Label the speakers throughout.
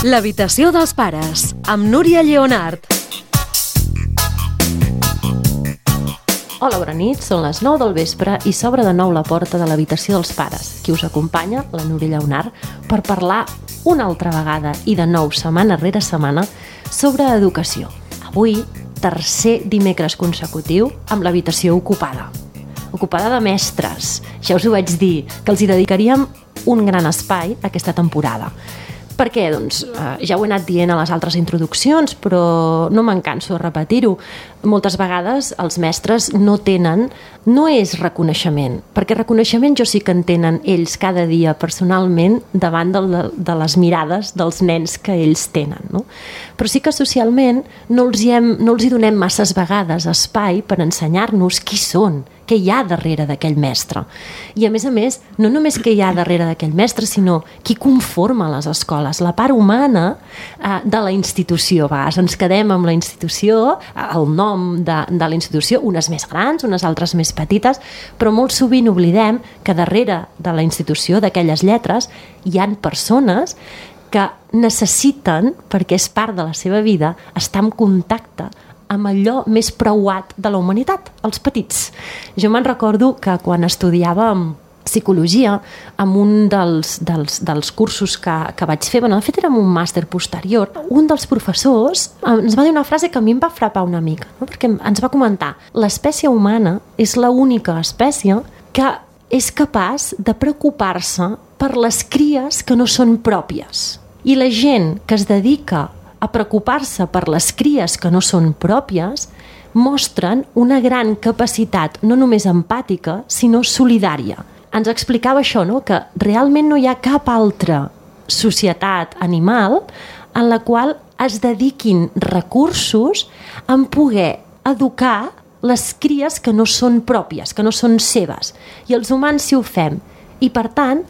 Speaker 1: L'habitació dels pares, amb Núria Lleonart.
Speaker 2: Hola, bona nit, són les 9 del vespre i s'obre de nou la porta de l'habitació dels pares. Qui us acompanya, la Núria Lleonart, per parlar una altra vegada i de nou, setmana rere setmana, sobre educació. Avui, tercer dimecres consecutiu amb l'habitació ocupada. Ocupada de mestres. Ja us ho vaig dir, que els hi dedicaríem un gran espai aquesta temporada. Per què? Doncs ja ho he anat dient a les altres introduccions, però no me'n canso de repetir-ho. Moltes vegades els mestres no tenen, no és reconeixement, perquè reconeixement jo sí que en tenen ells cada dia personalment davant de les mirades dels nens que ells tenen, no? Però sí que socialment no els hi donem masses vegades espai per ensenyar-nos qui són, què hi ha darrere d'aquell mestre. I a més, no només què hi ha darrere d'aquell mestre, sinó qui conforma les escoles, la part humana de la institució. Ens quedem amb la institució, el nom de la institució, unes més grans, unes altres més petites, però molt sovint oblidem que darrere de la institució, d'aquelles lletres, hi han persones que necessiten, perquè és part de la seva vida, estar en contacte amb allò més preuat de la humanitat, els petits. Jo me'n recordo que quan estudiava psicologia, amb un dels cursos que vaig fer, de fet era un màster posterior, un dels professors ens va dir una frase que a mi em va frapar una mica, no? Perquè ens va comentar: l'espècie humana és l'única espècie que és capaç de preocupar-se per les cries que no són pròpies. I la gent que es dedica a preocupar-se per les cries que no són pròpies mostren una gran capacitat no només empàtica, sinó solidària. Ens explicava això, no? Que realment no hi ha cap altra societat animal en la qual es dediquin recursos en poder educar les cries que no són pròpies, que no són seves. I els humans sí ho fem. I per tant,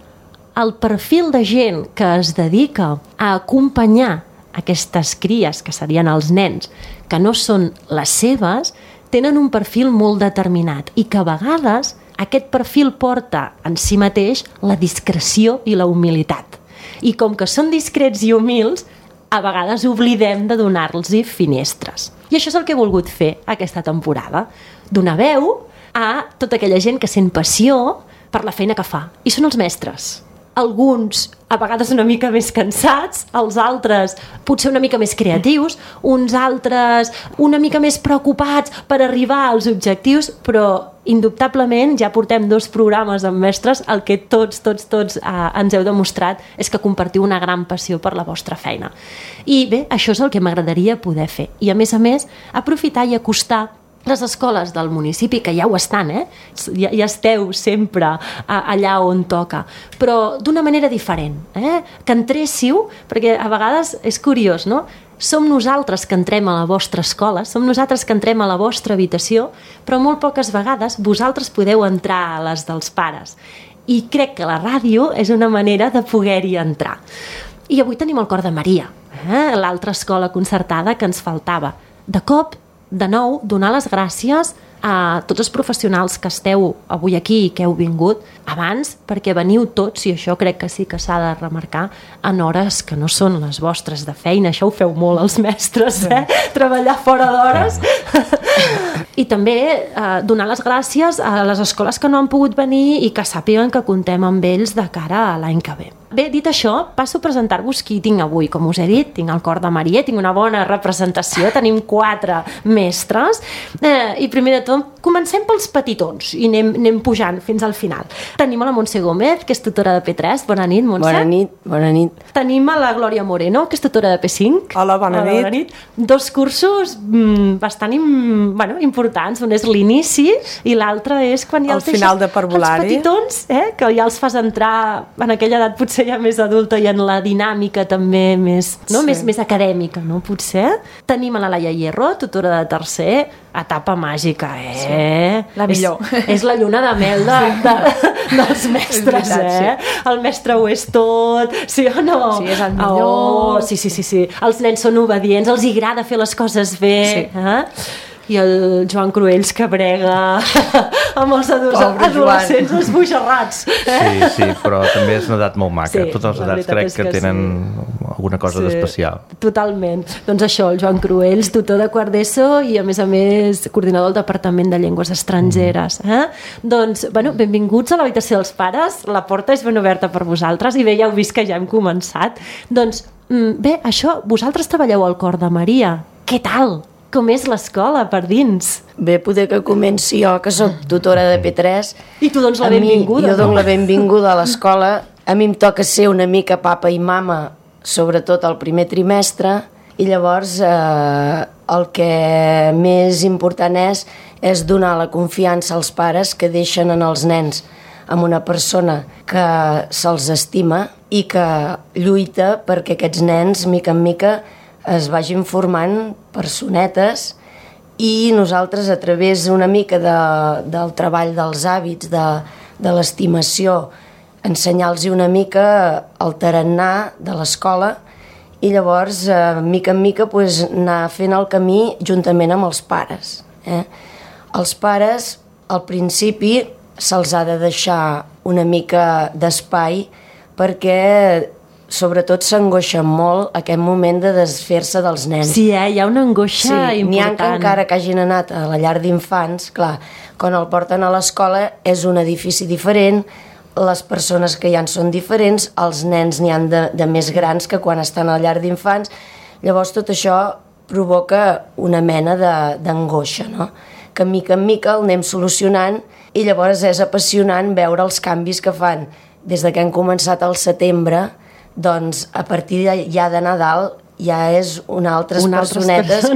Speaker 2: el perfil de gent que es dedica a acompanyar aquestes cries, que serien els nens, que no són les seves, tenen un perfil molt determinat i que a vegades aquest perfil porta en si mateix la discreció i la humilitat. I com que són discrets i humils, a vegades oblidem de donar-los finestres. I això és el que he volgut fer aquesta temporada, donar veu a tota aquella gent que sent passió per la feina que fa. I són els mestres. Alguns a vegades una mica més cansats, els altres potser una mica més creatius, uns altres una mica més preocupats per arribar als objectius, però indubtablement ja portem 2 programes amb mestres, el que tots ens heu demostrat és que compartiu una gran passió per la vostra feina. I bé, això és el que m'agradaria poder fer. I a més, aprofitar i acostar les escoles del municipi, que ja ho estan, ja esteu sempre allà on toca, però d'una manera diferent, que entréssiu, perquè a vegades és curiós, no? Som nosaltres que entrem a la vostra escola, som nosaltres que entrem a la vostra habitació, però molt poques vegades vosaltres podeu entrar a les dels pares. I crec que la ràdio és una manera de poder-hi entrar. I avui tenim el Cor de Maria, l'altra escola concertada que ens faltava. De cop, de nou, donar les gràcies a tots els professionals que esteu avui aquí i que heu vingut abans, perquè veniu tots, i això crec que sí que s'ha de remarcar, en hores que no són les vostres de feina. Això ho feu molt els mestres, treballar fora d'hores. I també donar les gràcies a les escoles que no han pogut venir i que sàpiguen que contem amb ells de cara a l'any que ve. Bé, dit això, passo a presentar-vos qui tinc avui. Com us he dit, tinc el Cor de Maria, tinc una bona representació, tenim 4 mestres, i primer de tot comencem pels petitons i anem pujant fins al final. Tenim a la Montse Gómez, que és tutora de P3. Bona nit, Montse.
Speaker 3: Bona nit.
Speaker 2: Tenim a la Glòria Moreno, que és tutora de P5.
Speaker 3: Hola, bona nit.
Speaker 2: 2 cursos bastant importants. Un és l'inici i l'altre és quan ja
Speaker 3: el final de parvulari.
Speaker 2: Els petitons, que ja els fas entrar en aquella edat potser ja més adulta i en la dinàmica també més acadèmica, no? Potser. Tenim a la Laia Hierro, tutora de tercer, etapa màgica,
Speaker 3: Sí. La millor.
Speaker 2: És la lluna de mel dels mestres, El mestre ho és tot, sí o no?
Speaker 3: Sí, és el millor.
Speaker 2: Sí. Els nens són obedients, els agrada fer les coses bé.
Speaker 3: Sí.
Speaker 2: i el Joan Cruells que brega amb els adolescents esbojarrats.
Speaker 4: Sí, però també és una edat molt maca.
Speaker 2: Sí,
Speaker 4: totes les
Speaker 2: la
Speaker 4: edats
Speaker 2: veritat
Speaker 4: crec
Speaker 2: és
Speaker 4: que
Speaker 2: que
Speaker 4: tenen
Speaker 2: sí.
Speaker 4: alguna cosa d'especial.
Speaker 2: Totalment. Doncs això, el Joan Cruells, tutor de quart d'ESO i a més coordinador del Departament de Llengües Estrangeres. Doncs, bueno, benvinguts a l'habitació dels pares, la porta és ben oberta per vosaltres i bé, ja heu vist que ja hem començat. Doncs, bé, això, vosaltres treballeu al Cor de Maria. Què tal? Com és l'escola per dins?
Speaker 5: Bé, poder que comenci jo, que sóc tutora de P3.
Speaker 2: I tu dones la benvinguda,
Speaker 5: Jo dono la benvinguda a l'escola. A mi em toca ser una mica papa i mama, sobretot al primer trimestre, i llavors el que més important és donar la confiança als pares que deixen en els nens amb una persona que se'ls estima i que lluita perquè aquests nens, mica en mica, es vagin formant personetes i nosaltres, a través una mica del treball dels hàbits, de l'estimació, ensenyar-los una mica el tarannà de l'escola i llavors, mica en mica, anar fent el camí juntament amb els pares. Els pares, al principi, se'ls ha de deixar una mica d'espai perquè sobretot s'angoixen molt aquest moment de desfer-se dels nens.
Speaker 2: Sí, hi ha una angoixa important.
Speaker 5: N'hi ha que encara que hagin anat a la llar d'infants, clar, quan el porten a l'escola és un edifici diferent, les persones que hi ha són diferents, els nens n'hi han de més grans que quan estan a la llar d'infants, llavors tot això provoca una mena d'angoixa, no? Que mica en mica el anem solucionant i llavors és apassionant veure els canvis que fan des que han començat al setembre. Doncs a partir ja de Nadal ja és altres personetes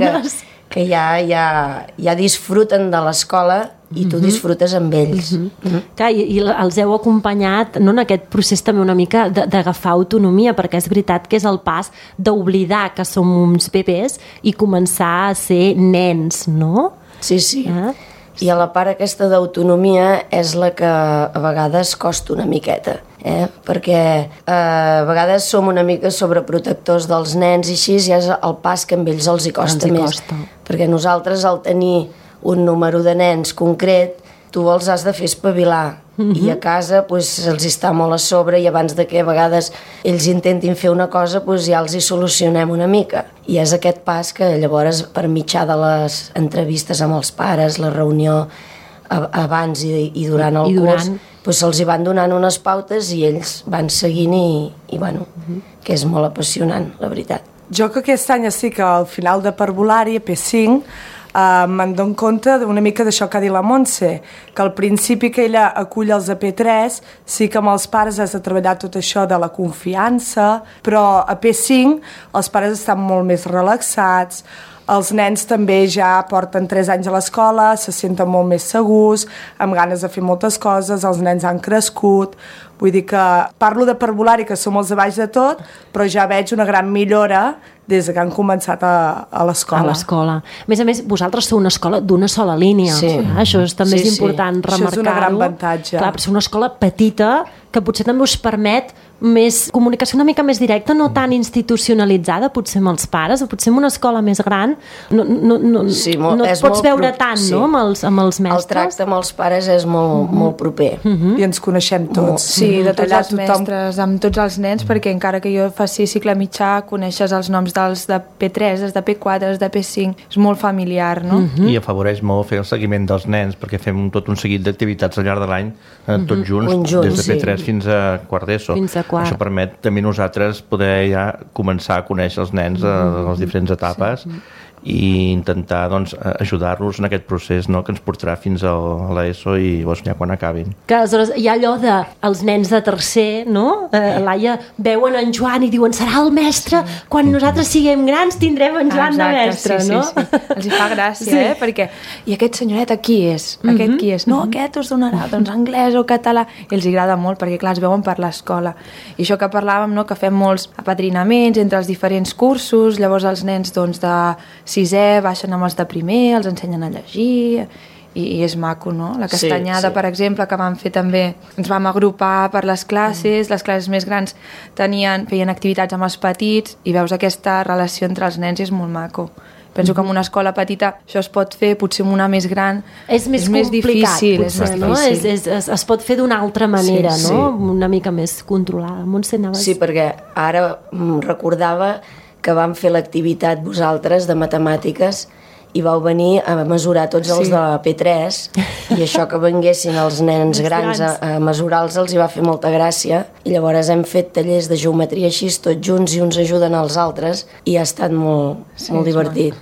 Speaker 5: que ja disfruten de l'escola i tu disfrutes amb ells.
Speaker 2: Clar, i els heu acompanyat en aquest procés també una mica d'agafar autonomia, perquè és veritat que és el pas d'oblidar que som uns bebès i començar a ser nens, no?
Speaker 5: Sí. I a la part aquesta d'autonomia és la que a vegades costa una miqueta, perquè a vegades som una mica sobreprotectors dels nens i així ja és el pas que amb ells els hi costa més. Perquè nosaltres, al tenir un número de nens concret, tu els has de fer espavilar i a casa se'ls està molt a sobre i abans de que a vegades ells intentin fer una cosa ja els hi solucionem una mica. I és aquest pas que llavors, per mitjà de les entrevistes amb els pares, la reunió abans i durant el curs, se'ls hi van donant unes pautes i ells van seguint i bueno, que és molt apassionant, la veritat.
Speaker 3: Jo que aquest any estic al final de parvulari, a P5, me'n dono compte una mica d'això que ha dit la Montse, que al principi que ella acull els de P3 sí que amb els pares has de treballar tot això de la confiança, però a P5 els pares estan molt més relaxats, els nens també ja porten 3 anys a l'escola, se senten molt més segurs, amb ganes de fer moltes coses, els nens han crescut, vull dir que parlo de parvulari, que som els de baix de tot, però ja veig una gran millora des que han començat a l'escola.
Speaker 2: A l'escola. A més, vosaltres sou una escola d'una sola línia.
Speaker 5: Sí.
Speaker 2: Això també és important remarcar-ho.
Speaker 3: Això és un gran avantatge.
Speaker 2: Clar, però és una escola petita que potser també us permet més comunicació una mica més directa, no tan institucionalitzada, potser amb els pares, o potser en una escola més gran no et pots veure tant, no?, amb els mestres.
Speaker 5: El tracte amb els pares és molt proper.
Speaker 3: I ens coneixem tots.
Speaker 6: Sí, de tots els mestres, amb tots els nens, perquè encara que jo faci cicle mitjà, coneixes els noms dels de P3, dels de P4, dels de P5, és molt familiar, no?
Speaker 4: I afavoreix molt fer el seguiment dels nens, perquè fem tot un seguit d'activitats al llarg de l'any, tots junts, des de P3 fins a quart d'ESO. Això permet també nosaltres poder ja començar a conèixer els nens a les diferents etapes i intentar ajudar-los en aquest procés, no?, que ens portarà fins a l'ESO i ja quan acabin.
Speaker 2: Que aleshores hi ha allò de els nens de tercer, no? Laia, veuen en Joan i diuen serà el mestre, quan nosaltres siguem grans tindrem en Joan de mestre, no?
Speaker 6: Sí. Els hi fa gràcia, perquè i aquest senyoret qui és? Aquest qui és? No, aquest us donarà anglès o català, i els agrada molt perquè clar, es veuen per l'escola. I això que parlàvem, no?, que fem molts apadrinaments entre els diferents cursos, llavors els nens de sisè baixen amb els de primer, els ensenyen a llegir i és maco, no? La castanyada, per exemple, que vam fer també, ens vam agrupar per les classes més grans feien activitats amb els petits i veus aquesta relació entre els nens i és molt maco. Penso que en una escola petita això es pot fer, potser en una més gran
Speaker 2: és més difícil,
Speaker 6: potser,
Speaker 2: no? Es pot fer d'una altra manera, no? Una mica més controlada. Montse, anaves...
Speaker 5: Sí, perquè ara recordava que vam fer l'activitat vosaltres de matemàtiques i vau venir a mesurar tots els de P3 i això que venguessin els nens grans a mesurar-los els hi va fer molta gràcia i llavors hem fet tallers de geometria així tots junts i uns ajuden als altres i ha estat molt divertit.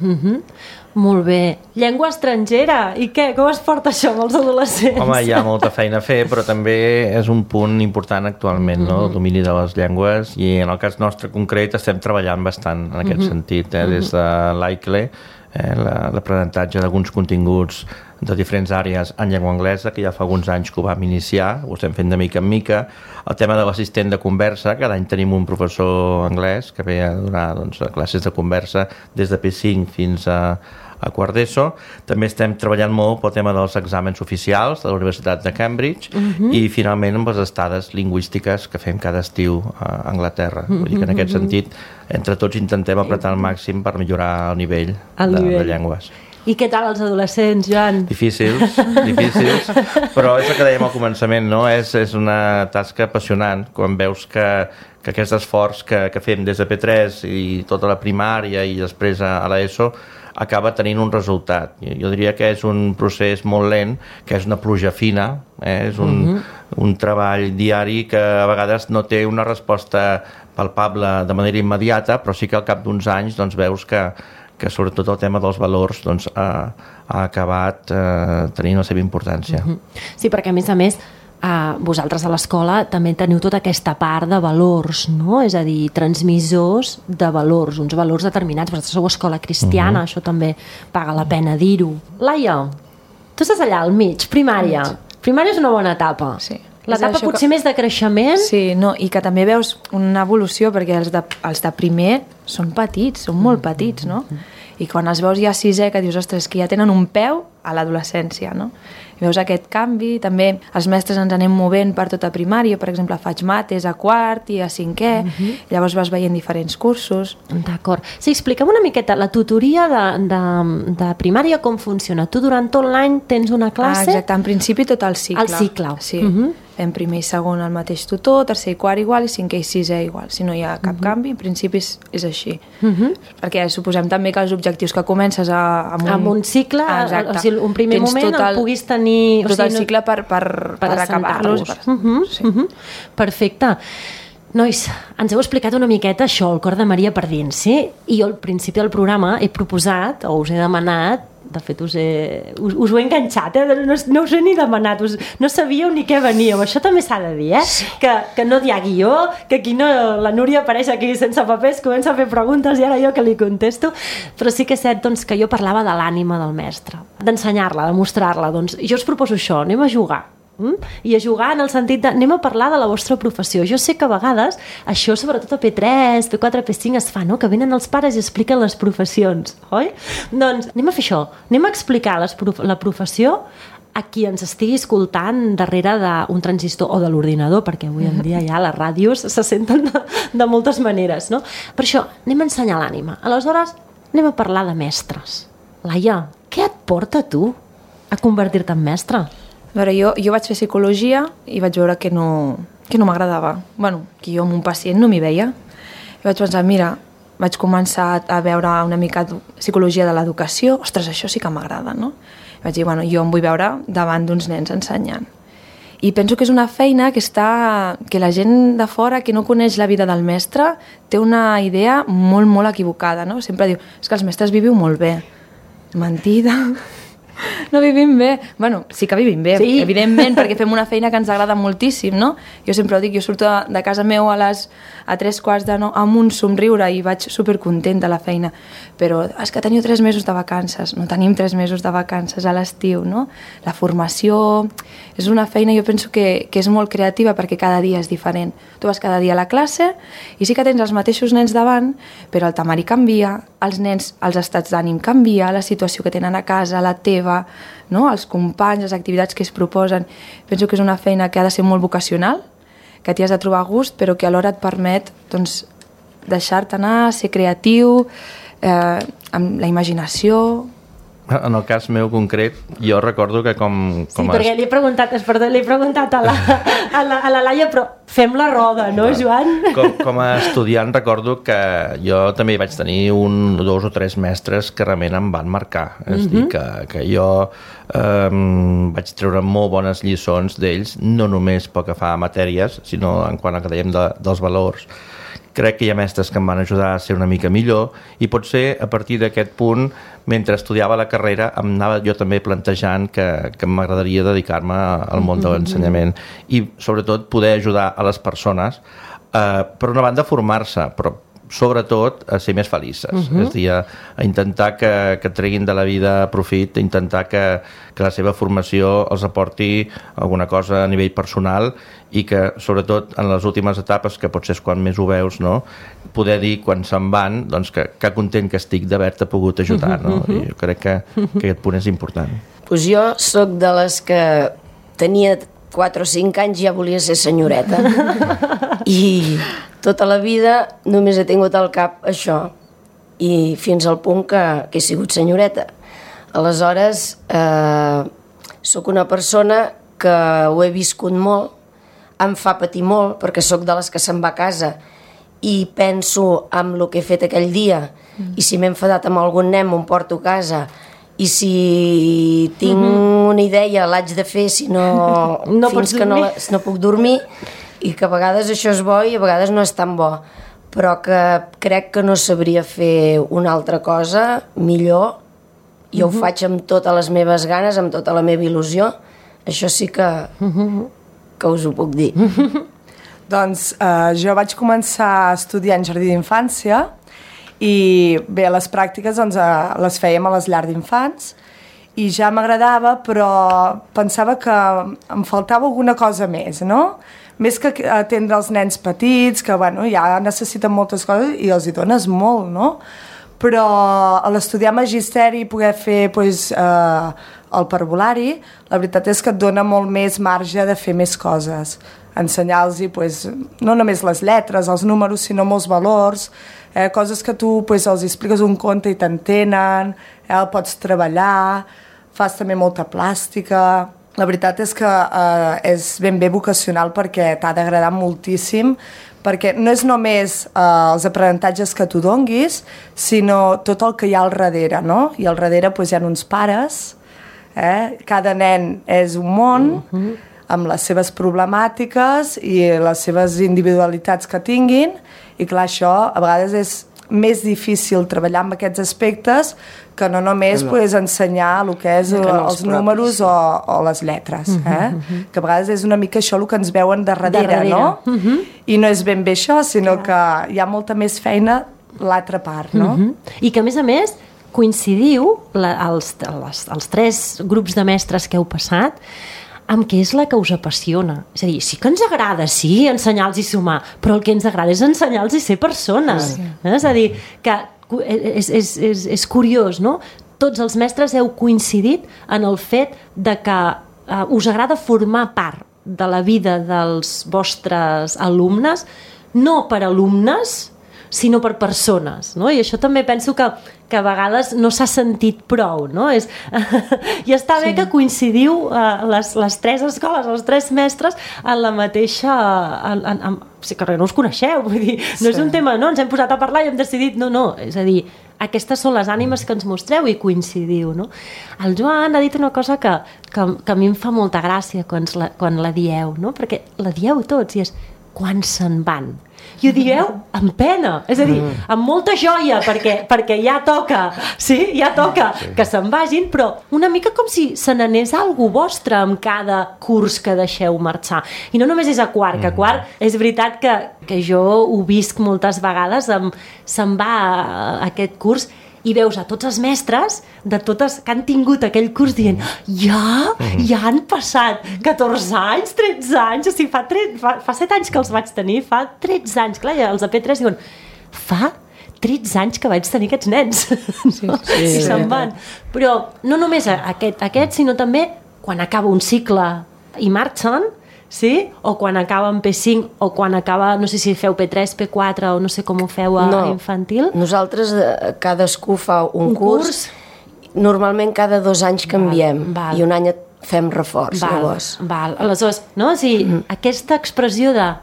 Speaker 2: Molt bé. Llengua estrangera. I què? Com es porta això amb els adolescents?
Speaker 4: Home, hi ha molta feina a fer, però també és un punt important actualment, no? El domini de les llengües, i en el cas nostre concret estem treballant bastant en aquest sentit, des de l'AICLE, l'aprenentatge d'alguns continguts de diferents àrees en llengua anglesa, que ja fa alguns anys que ho vam iniciar, ho estem fent de mica en mica. El tema de l'assistent de conversa, cada any tenim un professor anglès que ve a donar classes de conversa des de P5 fins a quart d'ESO. També estem treballant molt pel tema dels exàmens oficials de la Universitat de Cambridge i finalment amb les estades lingüístiques que fem cada estiu a Anglaterra. Vull dir que en aquest sentit entre tots intentem apretar al màxim per millorar el nivell de llengües.
Speaker 2: I què tal els adolescents, Joan?
Speaker 4: Difícils, però és el que dèiem al començament, no? És una tasca apassionant quan veus que aquest esforç que fem des de P3 i tota la primària i després a l'ESO acaba tenint un resultat. Jo diria que és un procés molt lent, que és una pluja fina, és un treball diari que a vegades no té una resposta palpable de manera immediata, però sí que al cap d'uns anys veus que sobretot el tema dels valors ha acabat tenint la seva importància.
Speaker 2: Sí, perquè a més vosaltres a l'escola també teniu tota aquesta part de valors, no? És a dir, transmissors de valors, uns valors determinats. Vosaltres sou escola cristiana, això també paga la pena dir-ho. Laia, tu estàs allà al mig, primària. Primària és una bona etapa. Sí. L'etapa potser més de creixement.
Speaker 6: Sí, i que també veus una evolució, perquè els de primer són petits, són molt petits, no? I quan els veus ja a sisè, que dius, ostres, que ja tenen un peu a l'adolescència, no? I veus aquest canvi, també els mestres ens anem movent per tota primària, per exemple, faig mates a quart i a cinquè, llavors vas veient diferents cursos.
Speaker 2: D'acord. Sí, explica'm una miqueta, la tutoria de primària com funciona? Tu durant tot l'any tens una classe?
Speaker 6: Exacte, en principi tot el cicle.
Speaker 2: El cicle.
Speaker 6: Sí. Fem primer i segon el mateix tutor, tercer i quart igual i cinquè i sisè igual. Si no hi ha cap canvi, en principi és així. Perquè suposem també que els objectius que comences
Speaker 2: amb un cicle, o sigui, un primer moment el puguis tenir...
Speaker 6: Tot el cicle per acabar-los.
Speaker 2: Perfecte. Nois, ens heu explicat una miqueta això, el cor de Maria per dins, sí? I jo al principi del programa he proposat, o us he demanat, de fet us ho he enganxat, no us ho he ni demanat, no sabíeu ni què veníeu, això també s'ha de dir, sí. que no hi ha guió, que aquí no, la Núria apareix aquí sense papers, comença a fer preguntes i ara jo que li contesto, però sí que és cert que jo parlava de l'ànima del mestre, d'ensenyar-la, de mostrar-la, jo us proposo això, anem a jugar. I a jugar en el sentit de anem a parlar de la vostra professió. Jo sé que a vegades això, sobretot a P3, P4, P5 es fa, no? Que venen els pares i expliquen les professions, oi? Doncs anem a fer això, anem a explicar la professió a qui ens estigui escoltant darrere d'un transistor o de l'ordinador, perquè avui en dia ja les ràdios se senten de moltes maneres, no? Per això anem a ensenyar l'ànima. Aleshores anem a parlar de mestres. Laia, què et porta a tu a convertir-te en mestre?
Speaker 6: A veure, jo vaig fer psicologia i vaig veure que no m'agradava. Bueno, que jo amb un pacient no m'hi veia. I vaig pensar, mira, vaig començar a veure una mica psicologia de l'educació. Ostres, això sí que m'agrada, no? I vaig dir, bueno, jo em vull veure davant d'uns nens ensenyant. I penso que és una feina que la gent de fora que no coneix la vida del mestre té una idea molt, molt equivocada, no? Sempre diu, és que els mestres viviu molt bé. Mentida... No vivim bé. Bueno, sí que vivim bé, sí. Evidentment, perquè fem una feina que ens agrada moltíssim, no? Jo sempre ho dic, jo surto de casa meu a 3:15 amb un somriure i vaig supercontent de la feina. Però és que teniu 3 mesos de vacances. No tenim 3 mesos de vacances a l'estiu, no? La formació és una feina, jo penso que és molt creativa perquè cada dia és diferent. Tu vas cada dia a la classe i sí que tens els mateixos nens davant, però el temari canvia, els nens, els estats d'ànim canvia, la situació que tenen a casa, la teva, no? Els companys, les activitats que es proposen. Penso que és una feina que ha de ser molt vocacional, que t'hi has de trobar a gust, però que alhora et permet deixar-te anar, ser creatiu, amb la imaginació.
Speaker 4: En el cas meu concret, jo recordo que
Speaker 2: perquè li he preguntat a la Laia, però fem la roda, no, Joan?
Speaker 4: Com a estudiant recordo que jo també vaig tenir 1, 2 o 3 mestres que realment em van marcar. És a dir, que jo vaig treure molt bones lliçons d'ells, no només pel que fa a matèries, sinó en quant a que dèiem dels valors. Crec que hi ha mestres que em van ajudar a ser una mica millor i potser a partir d'aquest punt, mentre estudiava la carrera, em anava jo també plantejant que m'agradaria dedicar-me al món de l'ensenyament i sobretot poder ajudar a les persones, per una banda formar-se, però sobretot a ser més felices, és a dir, a intentar que treguin de la vida profit, a intentar que la seva formació els aporti alguna cosa a nivell personal i que sobretot en les últimes etapes, que potser és quan més ho veus, no? Poder dir quan se'n van doncs, que content que estic d'haver-te pogut ajudar, no? I jo crec que aquest punt és important.
Speaker 5: Pues jo sóc de les que tenia 4 o 5 anys ja volia ser senyoreta i tota la vida només he tingut al cap això i fins al punt que he sigut senyoreta. Aleshores sóc una persona que ho he viscut molt, em fa patir molt perquè sóc de les que se'n va a casa i penso en el que he fet aquell dia i si m'he enfadat amb algun nen m'ho porto a casa i si tinc una idea l'haig de fer si no, fins que no puc dormir i que a vegades això és bo i a vegades no és tan bo, però que crec que no sabria fer una altra cosa millor. Jo ho faig amb totes les meves ganes, amb tota la meva il·lusió. Això sí que us ho puc dir.
Speaker 3: Doncs jo vaig començar a estudiar en jardí d'infància i bé, les pràctiques doncs, les fèiem a les llars d'infants i ja m'agradava, però pensava que em faltava alguna cosa més, no? Més que atendre els nens petits, que bueno, ja necessiten moltes coses i els hi dones molt, no? Però a l'estudiar magisteri i poder fer pues, el parvulari, la veritat és que et dona molt més marge de fer més coses. Ensenyar-los pues, no només les lletres, els números, sinó molts valors, coses que tu pues, els expliques un conte i t'entenen, el pots treballar, fas també molta plàstica. La veritat és que és ben bé vocacional perquè t'ha d'agradar moltíssim, perquè no és només els aprenentatges que tu donguis, sinó tot el que hi ha al darrere, no? I al darrere pues, hi ha uns pares, cada nen és un món, amb les seves problemàtiques i les seves individualitats que tinguin, i clar, això a vegades és més difícil treballar amb aquests aspectes que no només pues, ensenyar el que és els números o les lletres, que a vegades és una mica això el que ens veuen darrere. No? I no és ben bé això, sinó que hi ha molta més feina l'altra part, no?
Speaker 2: I que a més coincidiu els 3 grups de mestres que heu passat amb què és la que us apassiona. És a dir, sí que ens agrada, sí, ensenyar-los i sumar, però el que ens agrada és ensenyar-los i ser persones. És a dir, que és curiós, no? Tots els mestres heu coincidit en el fet de que us agrada formar part de la vida dels vostres alumnes, no per alumnes, sinó per persones, no? I això també penso que a vegades no s'ha sentit prou, no? I està bé que coincidiu les 3 escoles, els 3 mestres en la mateixa... que no us coneixeu, vull dir, no és un tema, no, ens hem posat a parlar i hem decidit, no, és a dir, aquestes són les ànimes que ens mostreu i coincidiu, no? El Joan ha dit una cosa que a mi em fa molta gràcia quan la dieu, no? Perquè la dieu tots i és quan se'n van. I ho dieu amb pena, és a dir, amb molta joia, perquè ja toca, que se'n vagin, però una mica com si se n'anés algú vostre amb cada curs que deixeu marxar. I no només és a quart, que a quart és veritat que jo ho visc moltes vegades, se'n va aquest curs i veus a tots els mestres de totes que han tingut aquell curs dient ja han passat 14 anys, 13 anys, o sigui, fa 7 anys que els vaig tenir, fa 13 anys, clar, els de P3 diuen fa 13 anys que vaig tenir aquests nens, i se'n van. Però no només aquest, sinó també quan acaba un cicle i marxen, Sí? O quan acaba en P5, o quan acaba, no sé si feu P3, P4, o no sé com ho feu a infantil.
Speaker 5: Nosaltres cadascú fa un curs. Normalment cada 2 anys canviem. I un any fem reforç.
Speaker 2: Aleshores, no? O sigui, aquesta expressió de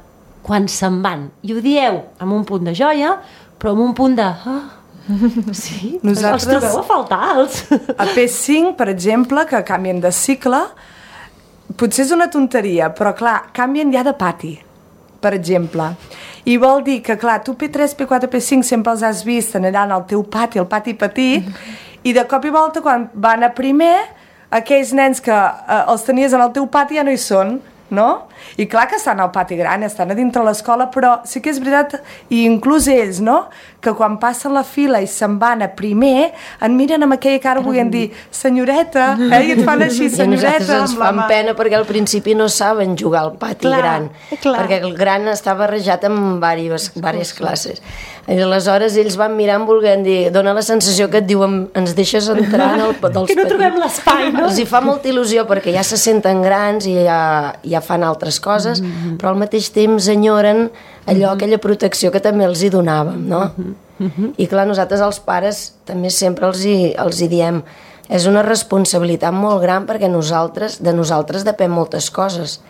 Speaker 2: quan se'n van, i ho dieu amb un punt de joia, però amb un punt de... Sí? Els trobeu a faltar, els?
Speaker 3: A P5, per exemple, que canvien de cicle, potser és una tonteria, però clar, canvien ja de pati, per exemple. I vol dir que, clar, tu P3, P4, P5 sempre els has vist allà al teu pati, el pati petit, i de cop i volta, quan van a primer, aquells nens que els tenies en el teu pati ja no hi són, no? I clar que estan al pati gran, estan a dintre l'escola, però sí que és veritat, i inclús ells, no?, que quan passen la fila i se'n van a primer, en miren amb aquella cara volent dir senyoreta, i et fan així, senyoreta.
Speaker 5: I nosaltres ens fan pena perquè al principi no saben jugar al pati gran, perquè el gran està barrejat amb diverses classes. I aleshores ells van mirant volent dir, dona la sensació que et diuen ens deixes entrar en el dels petits.
Speaker 2: Que no trobem l'espai, no?
Speaker 5: Els hi fa molta il·lusió perquè ja se senten grans i ja fan altres coses, però al mateix temps enyoren aquella protecció que també els hi donàvem, no? I clar, nosaltres els pares també sempre els hi diem és una responsabilitat molt gran perquè de nosaltres depèn moltes coses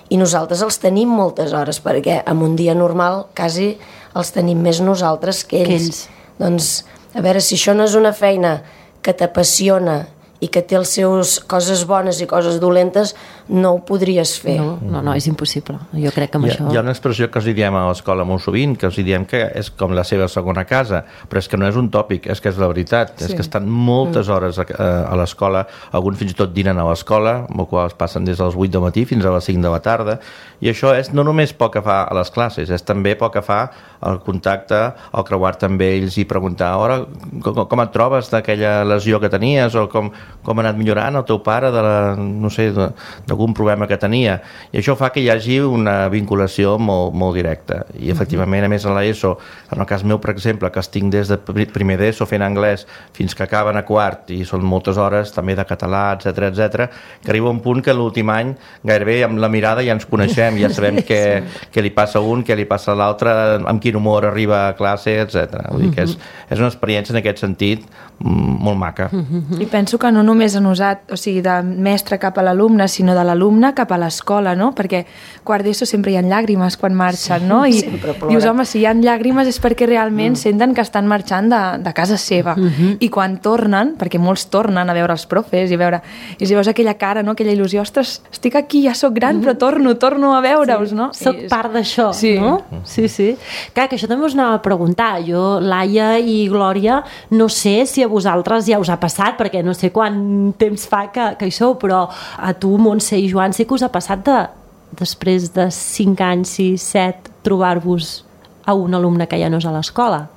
Speaker 5: i nosaltres els tenim moltes hores perquè en un dia normal quasi els tenim més nosaltres que ells. Doncs, a veure, si això no és una feina que t'apassiona i que té les seves coses bones i coses dolentes, no ho podries fer.
Speaker 2: No, és impossible. Jo crec que amb això...
Speaker 4: Hi ha una expressió que els diem a l'escola molt sovint, que els diem que és com la seva segona casa, però és que no és un tòpic, és que és la veritat. És que estan moltes hores a l'escola, alguns fins i tot dinen a l'escola, amb el qual es passen des dels 8 del matí fins a les 5 de la tarda, i això és no només pel que fa a les classes, és també pel que fa al contacte, al creuar-te amb ells i preguntar, ara, com et trobes d'aquella lesió que tenies, o com ha anat millorant el teu pare d'algun problema que tenia, i això fa que hi hagi una vinculació molt directa, i efectivament, a més a l'ESO, en el cas meu, per exemple, que estic des de primer d'ESO fent anglès fins que acaben a quart, i són moltes hores també de català, etc, que arriba un punt que l'últim any gairebé amb la mirada ja ens coneixem, ja sabem què li passa a un, què li passa a l'altre, amb quin humor arriba a classe, etc. Vull dir que és una experiència en aquest sentit molt maca.
Speaker 6: I penso que no només han usat, o sigui, de mestre cap a l'alumne, sinó de l'alumne cap a l'escola, no? Perquè quart d'ESO sempre hi ha llàgrimes quan marxen, no? I dius, home, si hi ha llàgrimes és perquè realment senten que estan marxant de casa seva. I quan tornen, perquè molts tornen a veure els profes i si veus aquella cara, no? Aquella il·lusió, ostres, estic aquí, ja soc gran, però torno a veure-us, no?
Speaker 2: Soc part d'això, no? Sí. Clar, que això també us anava a preguntar. Jo, Laia i Glòria, no sé si a vosaltres ja us ha passat, perquè no sé quant temps fa que hi sou, però a tu, Montse i Joan, sí que us ha passat després de 5 anys, 6, 7, trobar-vos a un alumne que ja no és a l'escola?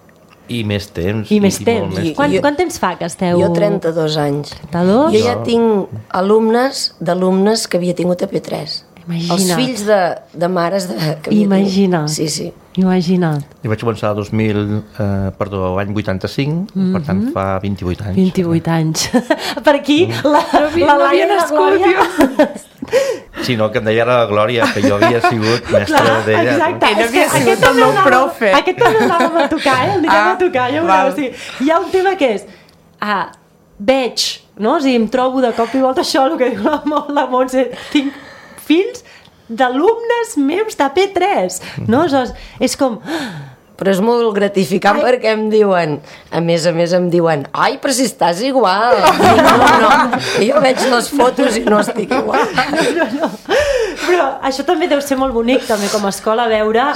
Speaker 4: I més temps.
Speaker 2: Quant temps fa que esteu?
Speaker 5: Jo 32 anys.
Speaker 2: 32?
Speaker 5: Jo ja tinc d'alumnes que havia tingut a P3.
Speaker 2: Imagina't.
Speaker 5: Els fills de mares que havia
Speaker 2: tingut.
Speaker 5: Sí.
Speaker 4: Imagina't. Jo vaig començar l'any 85, per tant fa 28 anys.
Speaker 2: 28 anys. Per aquí, la Laia i la Glòria...
Speaker 4: Sí, no, que em deia la Glòria, que jo havia sigut mestra d'ella.
Speaker 3: Exacte, ell havia sigut el meu profe.
Speaker 2: Aquest també anàvem a tocar, anirem a tocar, ja veureu. O sigui, hi ha un tema que és, veig, no? O sigui, em trobo de cop i volta això, el que diu la Montse, tinc fills d'alumnes meus de P3, no? És com...
Speaker 5: Però és molt gratificant perquè em diuen, a més em diuen, ai, però si estàs igual. No, jo veig les fotos i no estic igual.
Speaker 2: No. Però això també deu ser molt bonic, també com a escola, veure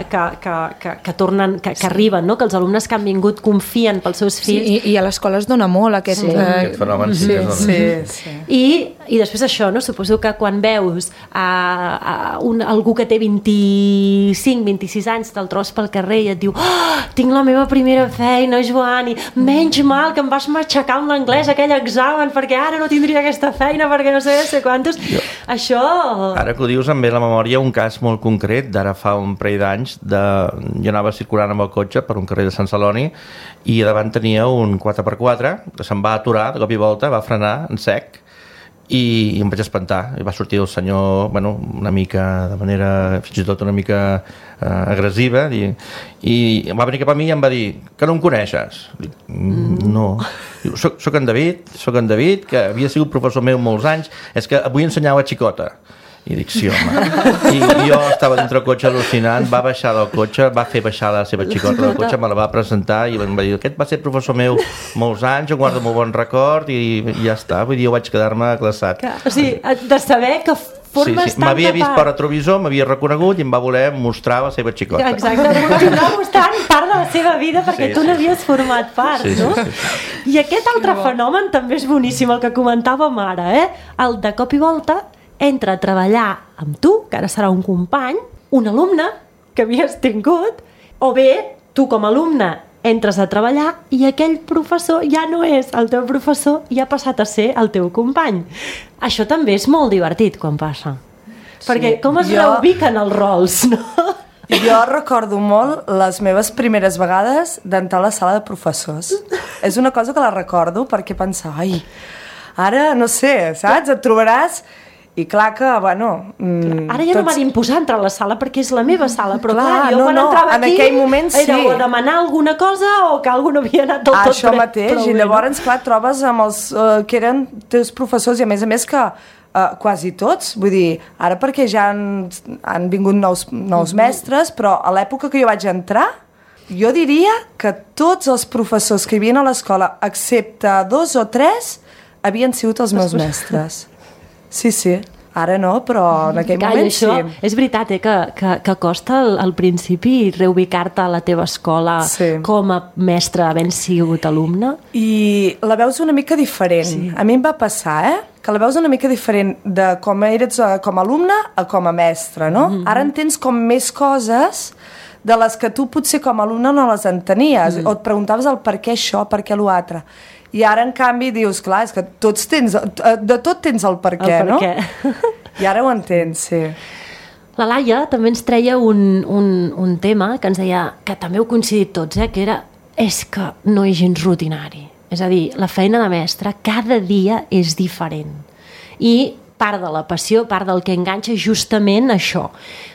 Speaker 2: que tornen, que arriben, no? Que els alumnes que han vingut confien pels seus fills.
Speaker 6: I a l'escola es dona molt aquest
Speaker 4: fenomen.
Speaker 2: Sí. I després això, no? Suposo que quan veus algú que té 25, 26 anys, te'l trobes pel carrer i et diu, tinc la meva primera feina, Joan, i menys mal que em vas matxacar amb l'anglès aquell examen perquè ara no tindria aquesta feina perquè no sé quantos... Això...
Speaker 4: Ara que ho dius em ve a la memòria un cas molt concret d'ara fa un parell d'anys, jo anava circulant amb el cotxe per un carrer de Sant Celoni i davant tenia un 4x4 que se'n va aturar de cop i volta, va frenar en sec i em vaig espantar. I va sortir el senyor, una mica de manera, fins i tot una mica agressiva, i va venir cap a mi i em va dir: que no em coneixes? Dic, no. Diu, soc en David, que havia sigut professor meu molts anys, és que avui ensenyava a xicota. I dic, sí, home. I jo estava dintre el cotxe al·lucinant, va baixar del cotxe, va fer baixar la seva xicota del cotxe, me la va presentar i em va dir: aquest va ser professor meu molts anys, em guardo molt bon record, i ja està. Vull dir, jo vaig quedar-me glaçat.
Speaker 2: O sigui, de saber que formes tant
Speaker 4: m'havia vist per retrovisor, m'havia reconegut i em va voler mostrar la seva xicota.
Speaker 2: Exacte, continuar mostrant part de la seva vida perquè tu n'havies format part, no? I aquest altre fenomen també és boníssim, el que comentàvem ara, el de cop i volta entra a treballar amb tu, que ara serà un company, un alumne que havies tingut, o bé tu com a alumne entres a treballar i aquell professor ja no és el teu professor i ha passat a ser el teu company. Això també és molt divertit quan passa. Perquè com es reubiquen els rols, no?
Speaker 3: Jo recordo molt les meves primeres vegades d'entrar a la sala de professors. És una cosa que la recordo perquè pensava, ara, no sé, saps? Et trobaràs... I clar que, ara ja no m'ha d'imposar entrar a la sala perquè és la meva sala, però clar, jo quan entrava aquí, en aquell moment era o demanar alguna cosa o que algú no havia anat del tot això mateix, i llavors, clar, trobes amb els que eren teus professors, i a més que quasi tots, vull dir, ara perquè ja han vingut nous mestres, però a l'època que jo vaig entrar, jo diria que tots els professors que hi havia a l'escola, excepte 2 o 3, havien sigut els meus mestres. Sí, ara no, però en aquell moment sí.
Speaker 2: És veritat, que costa al principi reubicar-te a la teva escola com a mestre havent sigut alumne.
Speaker 3: I la veus una mica diferent. A mi em va passar, que la veus una mica diferent de com eres com a alumne a com a mestre, no? Ara entens com més coses de les que tu potser com a alumne no les entenies, o et preguntaves el per què això, per què l'altre. I ara, en canvi, dius, clar, és que de tot tens el per què, no? I ara ho entens, sí.
Speaker 2: La Laia també ens treia un tema que ens deia, que també heu coincidit tots, que era, és que no és gens rutinari. És a dir, la feina de mestre cada dia és diferent. I part de la passió, part del que enganxa justament això.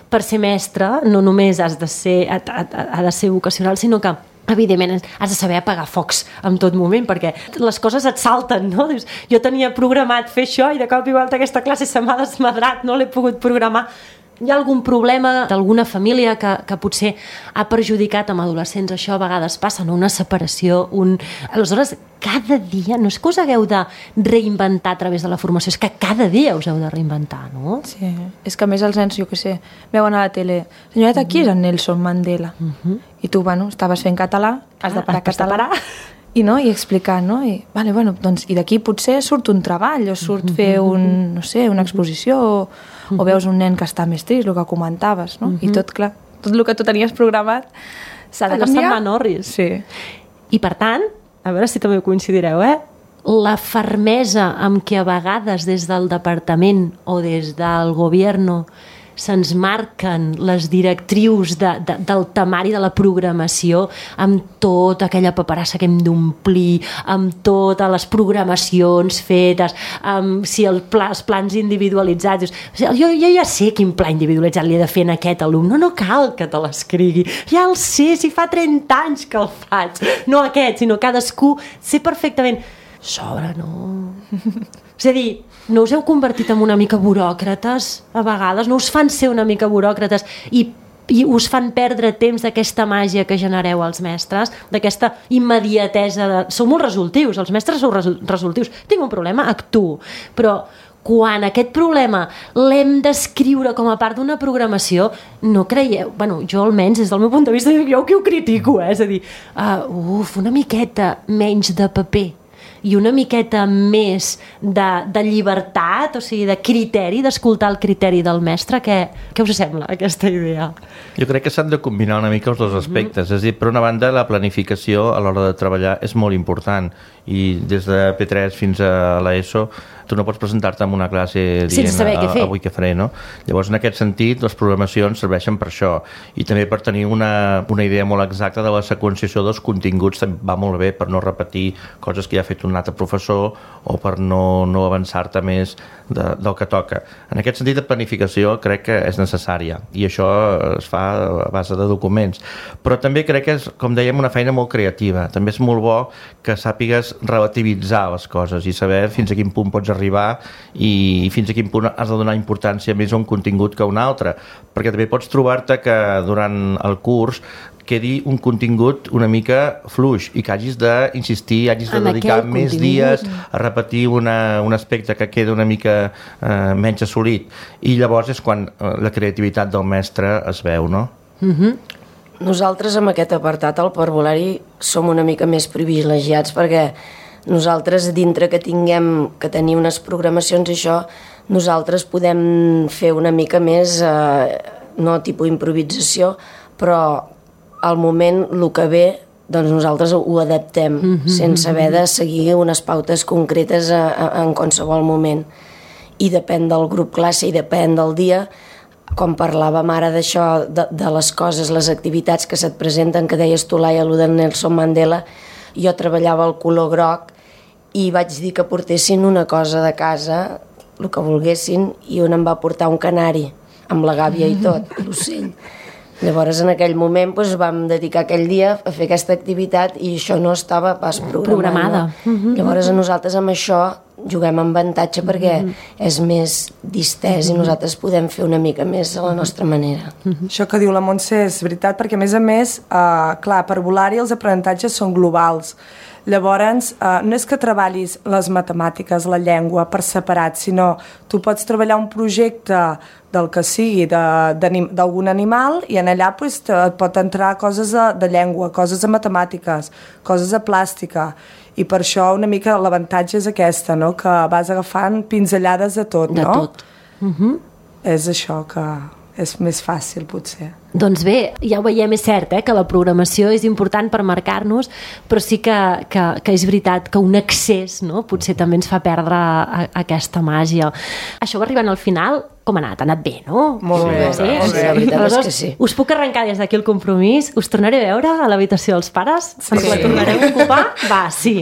Speaker 2: Per ser mestre no només ha de ser vocacional, sinó que evidentment has de saber apagar focs en tot moment, perquè les coses et salten, no? Dius, jo tenia programat fer això i de cop i volta aquesta classe se m'ha desmadrat, no l'he pogut programar. Hi ha algun problema d'alguna família que potser ha perjudicat amb adolescents? Això a vegades passa, no? Una separació, Aleshores, cada dia, no és que us hagueu de reinventar a través de la formació, és que cada dia us heu de reinventar, no?
Speaker 6: Sí, és que a més els nens, jo què sé, veuen a la tele, senyoreta, qui és en Nelson Mandela? I tu, estaves fent català, has de parar català, i explicar, no? I d'aquí potser surt un treball, o surt fer una exposició, o veus un nen que està més trist, el que comentaves, no? I tot, clar, tot el que tu tenies programat s'ha de canviar.
Speaker 2: No se'n va orris.
Speaker 6: Sí.
Speaker 2: I per tant, a veure si també ho coincidireu, la fermesa amb què a vegades des del departament o des del govern se'ns marquen les directrius del temari de la programació, amb tota aquella paperassa que hem d'omplir, amb totes les programacions fetes, amb si els plans individualitzats. Jo ja sé quin pla individualitzat li he de fer en aquest alumne, no cal que te l'escrigui, ja el sé, si fa 30 anys que el faig, no aquest, sinó cadascú, sé perfectament. Sobre, no? És a dir, no us heu convertit en una mica buròcrates a vegades? No us fan ser una mica buròcrates i us fan perdre temps d'aquesta màgia que genereu els mestres, d'aquesta immediatesa Sou molt resoltius, els mestres sou resoltius. Tinc un problema, actuo. Però quan aquest problema l'hem d'escriure com a part d'una programació, no creieu... Jo almenys, des del meu punt de vista, jo que ho critico, és a dir, una miqueta menys de paper i una miqueta més de llibertat, o sigui, de criteri, d'escoltar el criteri del mestre. Què us sembla, aquesta idea?
Speaker 4: Jo crec que s'han de combinar una mica els dos aspectes. És a dir, per una banda, la planificació a l'hora de treballar és molt important, i des de P3 fins a l'ESO tu no pots presentar-te en una classe dient avui què faré, no? Llavors, en aquest sentit, les programacions serveixen per això, i també per tenir una idea molt exacta de la seqüenciació dels continguts va molt bé per no repetir coses que ja ha fet un altre professor o per no avançar-te més del que toca. En aquest sentit, de planificació crec que és necessària, i això es fa a base de documents, però també crec que és, com dèiem, una feina molt creativa. També és molt bo que sàpigues relativitzar les coses i saber fins a quin punt pots arribar i fins a quin punt has de donar importància més a un contingut que a un altre, perquè també pots trobar-te que durant el curs quedi un contingut una mica fluix i que hagis d'insistir, hagis de dedicar més dies a repetir un aspecte que queda una mica menys assolit, i llavors és quan la creativitat del mestre es veu, no?
Speaker 5: Nosaltres amb aquest apartat al parvulari som una mica més privilegiats, perquè nosaltres, dintre que tenir unes programacions i això, nosaltres podem fer una mica més, no tipus improvisació, però al moment, el que ve, doncs nosaltres ho adaptem, sense haver de seguir unes pautes concretes en qualsevol moment. I depèn del grup classe i depèn del dia, com parlàvem ara d'això, de les coses, les activitats que se't presenten, que deies tu, Laia, allò de Nelson Mandela, jo treballava el color groc i vaig dir que portessin una cosa de casa, el que volguessin, i un em va portar un canari, amb la gàbia i tot, l'ocell. Llavors, en aquell moment, vam dedicar aquell dia a fer aquesta activitat i això no estava pas programada. Llavors, nosaltres amb això juguem amb avantatge perquè és més distès i nosaltres podem fer una mica més a la nostra manera.
Speaker 3: Això que diu la Montse és veritat, perquè a més, clar, per Volari els aprenentatges són globals. Llavors, no és que treballis les matemàtiques, la llengua per separat, sinó tu pots treballar un projecte del que sigui, d'algun animal, i en allà pot entrar coses de llengua, coses de matemàtiques, coses de plàstica, i per això una mica l'avantatge és aquesta, no? Que vas agafant pinzellades de tot, no?
Speaker 2: De tot.
Speaker 3: És això que és més fàcil, potser.
Speaker 2: Doncs bé, ja ho veiem, és cert, que la programació és important per marcar-nos, però sí que és veritat que un excés, no? Potser també ens fa perdre aquesta màgia. Això va arribant al final, com ha anat? Ha anat bé, no?
Speaker 3: Molt bé.
Speaker 5: Sí, la veritat és que sí.
Speaker 2: Us puc arrencar des d'aquí el compromís? Us tornaré a veure a l'habitació dels pares? Sí. Perquè la tornareu a ocupar? Va, sí.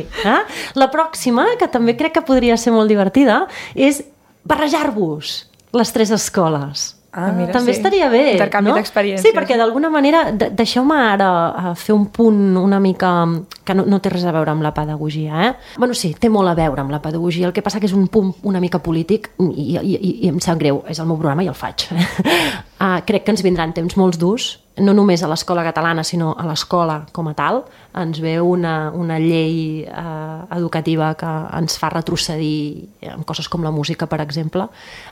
Speaker 2: La pròxima, que també crec que podria ser molt divertida, és barrejar-vos les tres escoles.
Speaker 6: Mira,
Speaker 2: també estaria bé,
Speaker 6: intercanvi d'experiències.
Speaker 2: Sí, perquè d'alguna manera, deixeu-me ara fer un punt una mica que no té res a veure amb la pedagogia, Bueno, sí, té molt a veure amb la pedagogia, el que passa que és un punt una mica polític i em sap greu, és el meu programa i el faig. Crec que ens vindran temps molt durs, no només a l'escola catalana, sinó a l'escola com a tal. Ens ve una llei educativa que ens fa retrocedir en coses com la música, per exemple,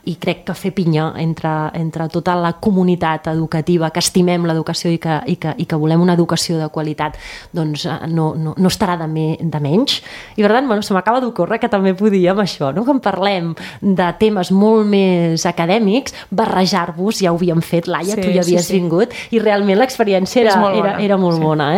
Speaker 2: i crec que fer pinya entre tota la comunitat educativa, que estimem l'educació i que volem una educació de qualitat, doncs no estarà de menys. I per tant, se m'acaba d'ocórrer que també podíem això, no? Quan parlem de temes molt més acadèmics, barrejar-vos, ja ho havíem fet, Laia, tu ja havies vingut, i realment l'experiència era molt bona.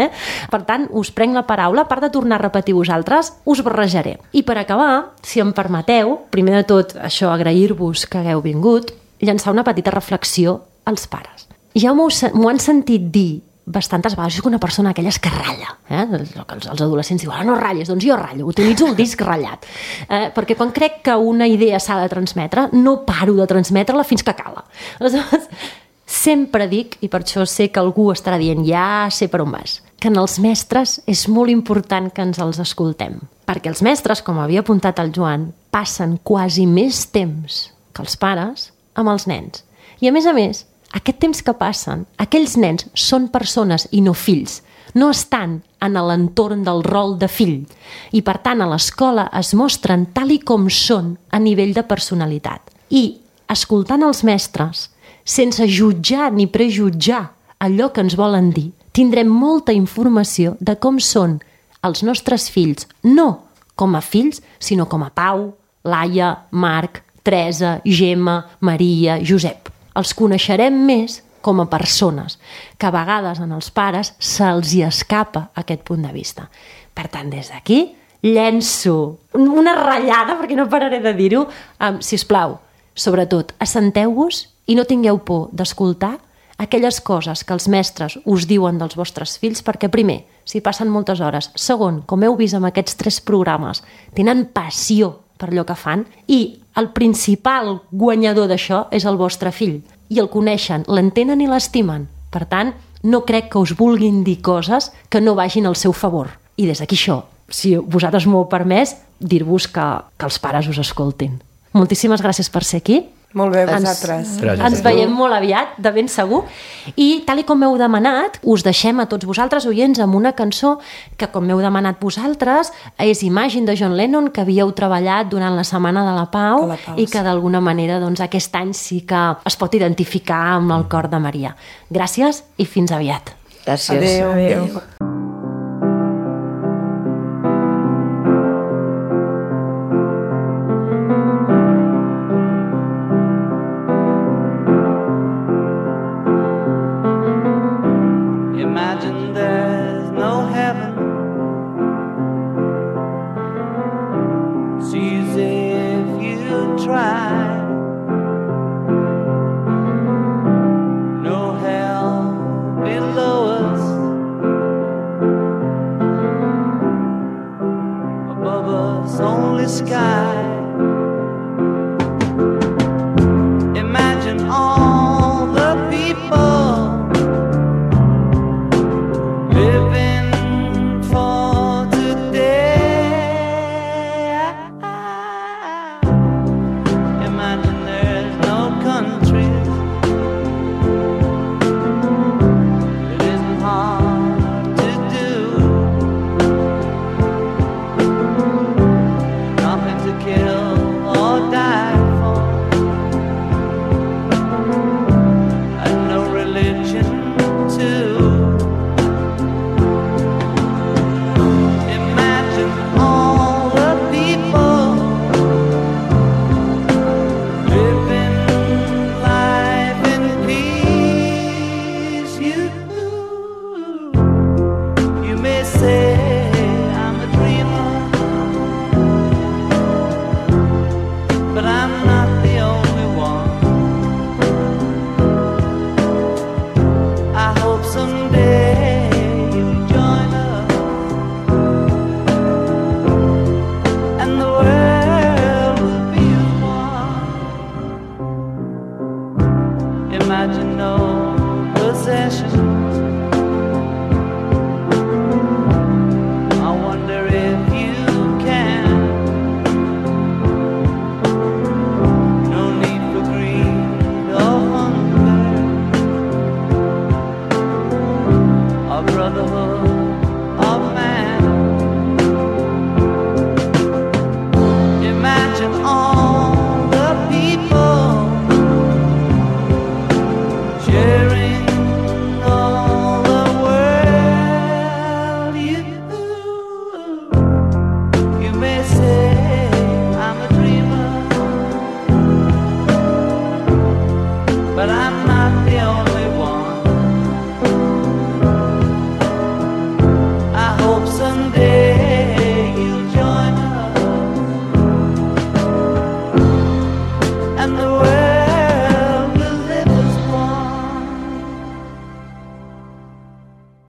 Speaker 2: Per tant, us prenc la paraula, a part de tornar a repetir vosaltres, us barrejaré. I per acabar, si em permeteu, primer de tot, això, agrair-vos que hagueu vingut, llançar una petita reflexió als pares. Ja m'ho han sentit dir bastantes vegades, que una persona aquelles que ratlla, els adolescents diuen, no ratlles, doncs jo ratllo, utilitzo el disc ratllat, perquè quan crec que una idea s'ha de transmetre, no paro de transmetre-la fins que cala. Aleshores, sempre dic, i per això sé que algú estarà dient, ja sé per on vas, que en els mestres és molt important que ens els escoltem, perquè els mestres, com havia apuntat el Joan, passen quasi més temps que els pares amb els nens. I a més, aquest temps que passen, aquells nens són persones i no fills, no estan en l'entorn del rol de fill, i per tant a l'escola es mostren tal i com són a nivell de personalitat. I escoltant els mestres, sense jutjar ni prejutjar allò que ens volen dir, tindrem molta informació de com són els nostres fills, no com a fills, sinó com a Pau, Laia, Marc, Teresa, Gemma, Maria, Josep. Els coneixerem més com a persones, que a vegades en els pares se'ls hi escapa aquest punt de vista. Per tant, des d'aquí, llenço una ratllada, perquè no pararé de dir-ho, sisplau, sobretot, assenteu-vos i no tingueu por d'escoltar aquelles coses que els mestres us diuen dels vostres fills, perquè primer, s'hi passen moltes hores, segon, com heu vist amb aquests 3 programes, tenen passió per allò que fan i el principal guanyador d'això és el vostre fill i el coneixen, l'entenen i l'estimen. Per tant, no crec que us vulguin dir coses que no vagin al seu favor. I des d'aquí això, si vosaltres m'ho heu permès, dir-vos que els pares us escoltin. Moltíssimes gràcies per ser aquí.
Speaker 3: Molt bé, vosaltres.
Speaker 2: Ens veiem molt aviat, de ben segur. I tal i com m'heu demanat, us deixem a tots vosaltres, oients, amb una cançó que, com m'heu demanat vosaltres, és Imagine de John Lennon, que havíeu treballat durant la Setmana de la Pau i que d'alguna manera aquest any sí que es pot identificar amb el cor de Maria. Gràcies i fins aviat.
Speaker 5: Gràcies.
Speaker 3: Adéu.
Speaker 7: Imagine there